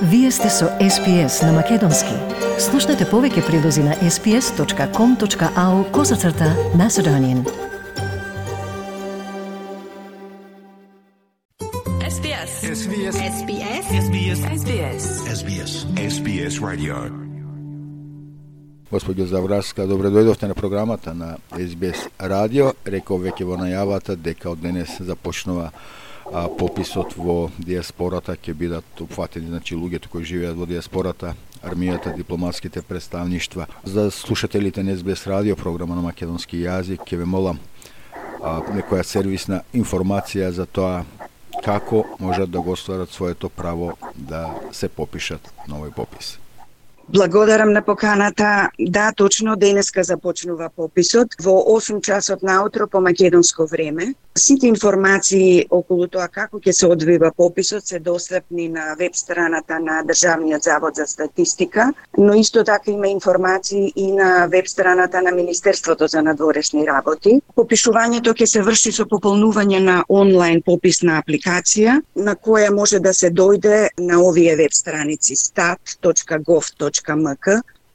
Вие сте со SPS на Македонски. Слушнете повеќе прилози на sps.com.au/Macedonian. SBS. SBS. SBS. SBS. SBS. SBS. SBS Radio. Госпоѓо Завраска, добре дојдовте на програмата на SBS радио. Реков веќе во најавата дека од денес започнува пописот во диаспората, ќе бидат опфатени луѓето кои живеат во диаспората, армијата, дипломатските представништва. За слушателите на SBS радио, програма на македонски јазик, ќе ве молам некоја сервисна информација за тоа како можат да го остварат своето право да се попишат на овој попис. Благодарам на поканата. Да, точно денеска започнува пописот во 8 часот наутро по македонско време. Сите информации околу тоа како ќе се одвива пописот се достапни на веб страната на Државниот завод за статистика, но исто така има информации и на веб страната на Министерството за надворешни работи. Попишувањето ќе се врши со пополнување на онлайн пописна апликација, на која може да се дојде на овие веб страници stat.gov.mk,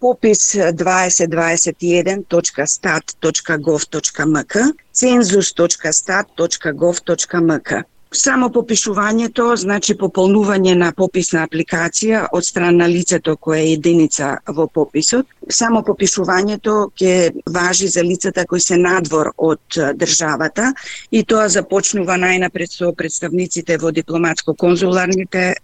попис 2021.stat.gov.mk, census.stat.gov.mk. Само попишувањето значи пополнување на пописна апликација од страна на лицето кое е единица во пописот. Само попишувањето ќе важи за лицата кои се надвор од државата и тоа започнува најнапред со представниците во дипломатско-конзуларните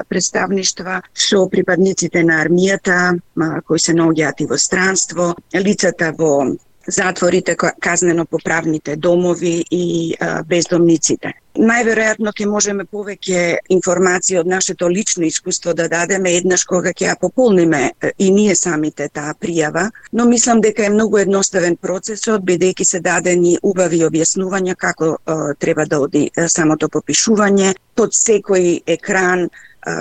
представништва, со припадниците на армијата кои се наоѓаат и во странство, лицата во затворите, казнено-поправните домови и бездомниците. Најверојатно ќе можеме повеќе информации од нашето лично искуство да дадеме еднаш кога ќе ја пополниме и ние самите таа пријава, но мислам дека е многу едноставен процесот, бидејќи се дадени убави објаснувања како треба да оди самото попишување. Под секој екран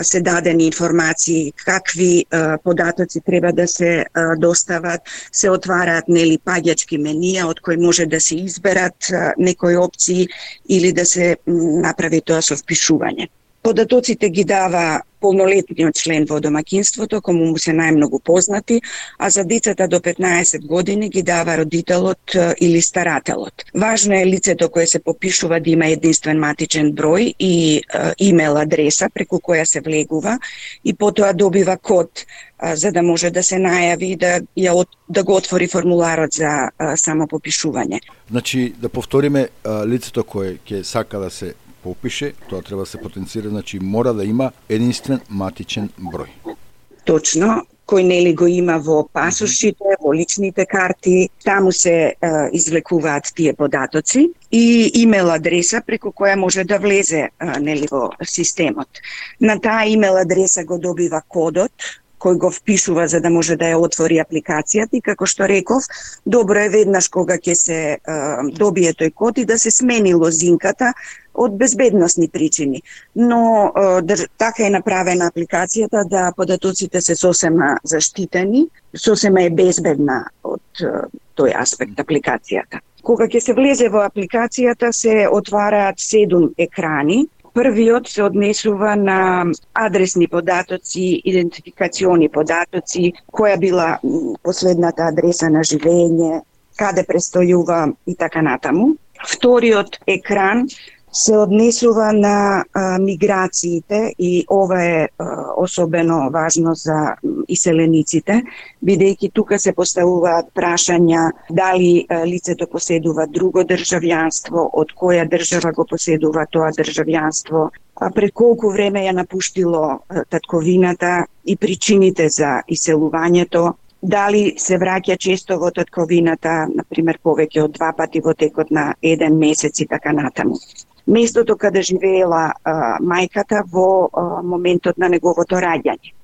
се дадени информации какви податоци треба да се достават, се отвараат паѓачки менија од кои може да се изберат некои опции или да се направи тоа со впишување. Податоците ги дава полнолетниот член во домаќинството, кому му се најмногу познати, а за децата до 15 години ги дава родителот или старателот. Важно е лицето кое се попишува да има единствен матичен број и имейл адреса преку која се влегува и потоа добива код за да може да се најави да го отвори формуларот за самопопишување. Значи, да повториме, лицето кое ќе сака да се попише, тоа треба да се потенцира, значи мора да има единствен матичен број. Точно, кој го има во пасошите, во личните карти, таму се извлекуваат тие податоци и имейл адреса преку која може да влезе во системот. На таа имейл адреса го добива кодот кој го впишува за да може да ја отвори апликацијата и како што реков, добро е веднаш кога ќе се добие тој код и да се смени лозинката од безбедносни причини. Но така е направена апликацијата да податоците се сосема заштитени, сосема е безбедна од тој аспект апликацијата. Кога ќе се влезе во апликацијата се отвараат 7 екрани. Првиот се однесува на адресни податоци, идентификациони податоци, која била последната адреса на живење, каде престојува и така натаму. Вториот екран се однесува на миграциите и ова е особено важно за иселениците, бидејќи тука се поставуваат прашања дали лицето поседува друго државјанство, од која држава го поседува тоа државјанство, пред колку време ја напуштило татковината и причините за иселувањето, дали се враќа често во татковината, например повеќе од 2 пати во текот на 1 месец и така натаму. Местото каде живеела мајката во моментот на неговото раѓање.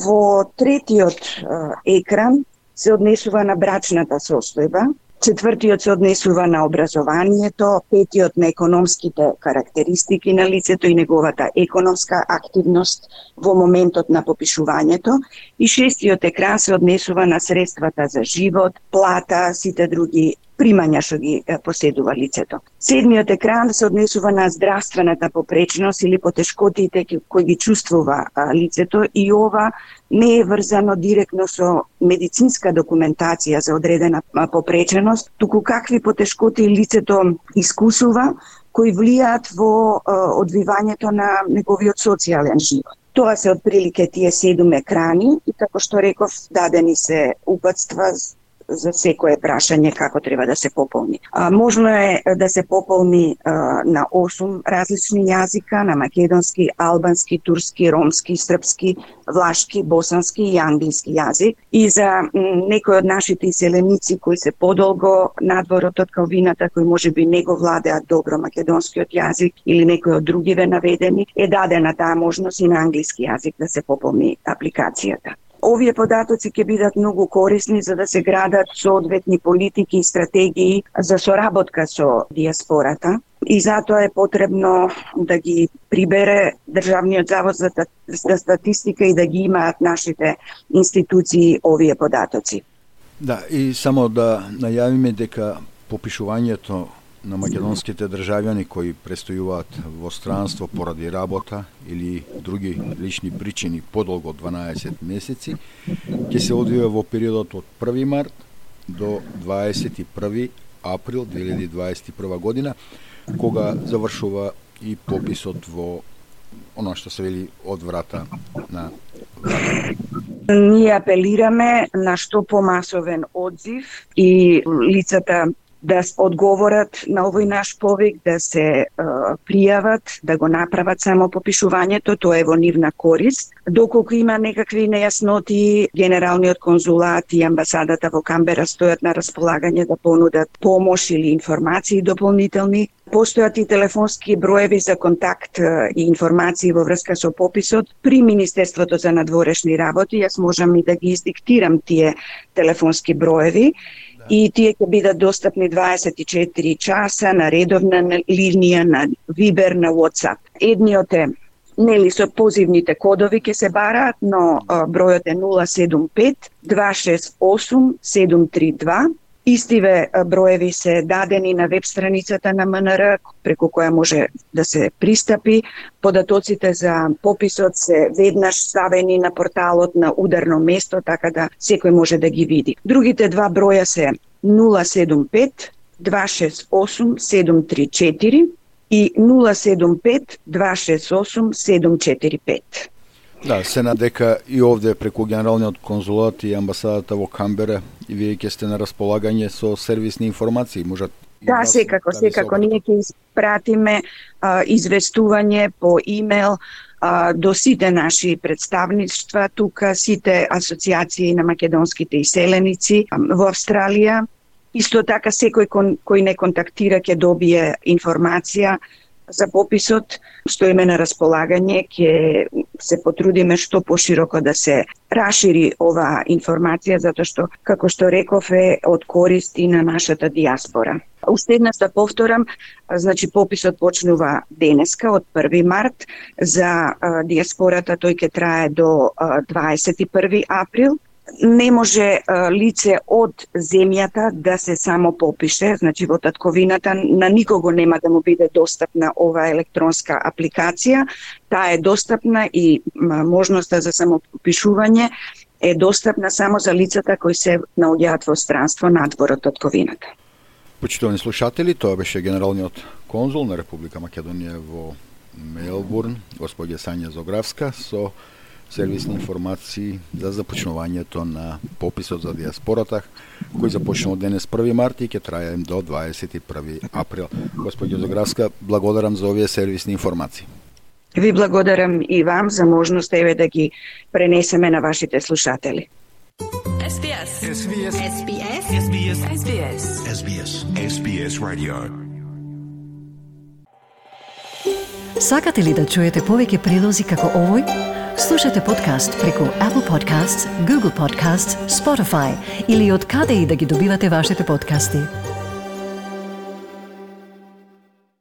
Во третиот екран се однесува на брачната состојба, четвртиот се однесува на образованието, петиот на економските карактеристики на лицето и неговата економска активност во моментот на попишувањето и шестиот екран се однесува на средствата за живот, плата, сите други примања што ги поседува лицето. Седмиот екран се однесува на здравствената попречност или потешкотиите кои ги чувствува лицето и ова не е врзано директно со медицинска документација за одредена попреченост, туку какви потешкоти лицето искусува кои влијаат во одвивањето на неговиот социјален живот. Тоа се отприлике тие 7 екрани и како што реков, дадени се упатства за секое прашање како треба да се пополни. Можно е да се пополни на 8 различни јазика, на македонски, албански, турски, ромски, српски, влашки, босански и англиски јазик. И за некои од нашите иселеници кои се подолго надворот од Калвината, кои можеби не го владеат добро македонскиот јазик или некои од другиве наведени, е дадена таа можност и на англиски јазик да се пополни апликацијата. Овие податоци ќе бидат многу корисни за да се градат соодветни политики и стратегии за соработка со диаспората и затоа е потребно да ги прибере Државниот завод за статистика и да ги имаат нашите институции овие податоци. Да, и само да најавиме дека попишувањето на македонските државјани кои престојуваат во странство поради работа или други лични причини подолго од 12 месеци, ќе се одвива во периодот од 1 март до 21 април 2021 година, кога завршува и пописот во оно што се вели од врата на врата. Ние апелираме на што помасовен одзив и лицата да одговорат на овој наш повик, да се пријават, да го направат само попишувањето, тоа е во нивна корист. Доколку има некакви нејасноти, Генералниот конзулат и амбасадата во Камбера стојат на располагање да понудат помош или информации дополнителни. Постојат и телефонски броеви за контакт и информации во врска со пописот при Министерството за надворешни работи. Јас можам и да ги издиктирам тие телефонски броеви. И тие ќе бидат достапни 24 часа на редовна линија, на Вибер, на WhatsApp. Едниот е, со позивните кодови ќе се бараат, но бројот е 075 268 732. Истиве броеви се дадени на веб страницата на МНР, преку која може да се пристапи. Податоците за пописот се веднаш ставени на порталот на ударно место, така да секој може да ги види. Другите два броја се 075 268 734 и 075 268 745. Да, се надека и овде преку Генералниот конзулат и амбасадата во Камбера и вие ќе сте на располагање со сервисни информации, можат. Да, секако ние ќе испратиме известување по имејл до сите наши представништва тука, сите асоциации на македонските иселеници во Австралија. Исто така секој кој не контактира ќе добие информација за пописот. Стоиме на располагање, ќе се потрудиме што пошироко да се расшири оваа информација, затоа што, како што реков, е од корист и на нашата диаспора. Уште еднаш да повторам, значи пописот почнува денеска од 1 март, за диаспората тој ќе трае до 21 април. Не може лице од земјата да се само попише, значи во татковината на никого нема да му биде достапна оваа електронска апликација. Таа е достапна и можноста за самопопишување е достапна само за лицата кои се наоѓаат во странство надвор од татковината. Почитувани слушатели, тоа беше генералниот конзул на Република Македонија во Мелбурн, господја Сања Зографска, со сервисни информации за започнувањето на пописот за диаспората, кој започнува денес 1 март и ќе трае до 21 април. Господја Зографска, благодарам за овие сервисни информации. Ви благодарам и вам за можноста еве да ги пренесеме на вашите слушатели. SBS Radio. Сакате ли да чуете повеќе прилози како овој? Слушате подкаст преку Apple Podcasts, Google Podcasts, Spotify или од каде и да ги добивате вашите подкасти.